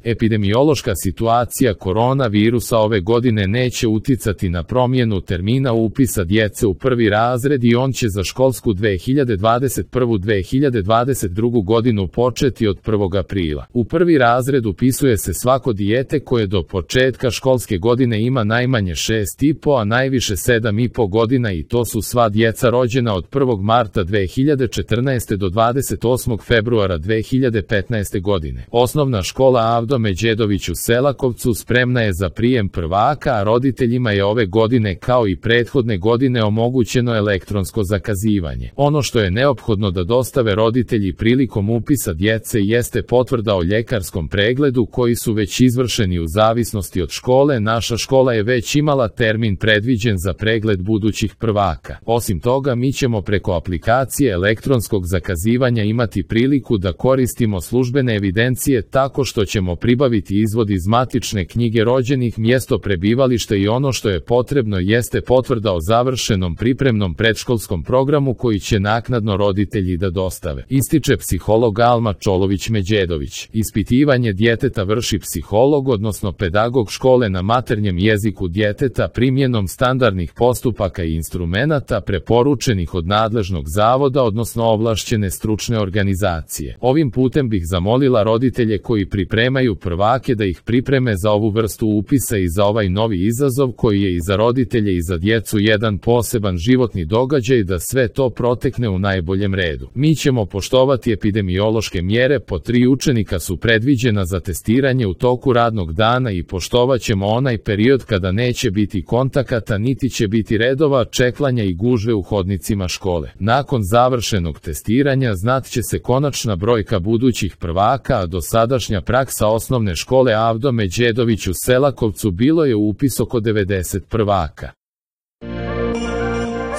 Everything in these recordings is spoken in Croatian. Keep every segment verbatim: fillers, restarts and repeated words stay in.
Epidemiološka situacija koronavirusa ove godine neće uticati na promjenu termina upisa djece u prvi razred i on će za školsku dve hiljade dvadeset prvu – dve hiljade dvadeset drugu godinu početi od prvog aprila. U prvi razred upisuje se svako dijete koje do početka školske godine ima najmanje šest i po, a najviše sedam i po godina i to su sva djeca rođena od prvog marta dve hiljade četrnaeste. do dvadeset osmog februara dve hiljade petnaeste. godine. Osnovna škola Avdo Međedović u Selakovcu spremna je za prijem prvaka, a roditeljima je ove godine kao i prethodne godine omogućeno elektronsko zakazivanje. Ono što je neophodno da dostave roditelji prilikom upisa djece jeste potvrda o ljekarskom pregledu koji su već izvršeni u zavisnosti od škole. Naša škola je već imala termin predviđen za pregled budućih prvaka. Osim toga, mi ćemo preko aplikacije elektronskog zakazivanja imati priliku da koristimo službene evidencije tako što ćemo pribaviti izvod iz matične knjige rođenih, mjesto prebivališta i ono što je potrebno jeste potvrda o završenom pripremnom predškolskom programu koji će naknadno roditelji da dostave, ističe psiholog Alma Čolović-Međedović. Ispitivanje djeteta vrši psiholog, odnosno pedagog škole na maternjem jeziku djeteta primjenom standardnih postupaka i instrumenata preporučenih od nadležnog zavoda, odnosno ovlašćene stručne organizacije. Ovim putem bih zamolila roditelje koji pripremaju prvake da ih pripreme za ovu vrstu upisa i za ovaj novi izazov koji je i za roditelje i za djecu jedan poseban životni događaj, da sve to protekne u najboljem redu. Mi ćemo poštovati epidemiološke mjere, po tri učenika su predviđena za testiranje u toku radnog dana i poštovat ćemo onaj period kada neće biti kontakata niti će biti redova čekanja i gužve u hodnicima škole. Nakon završenog testiranja znat će se konačna brojka budućih prvaka, a dosadašnja praksa osnovne škole Avdo Međedović u Selakovcu bilo je upis oko devedeset prvaka.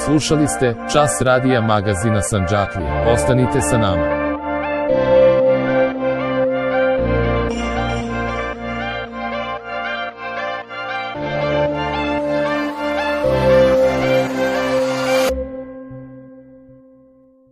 Slušali ste Čas radija magazina Sandžaklija. Ostanite sa nama.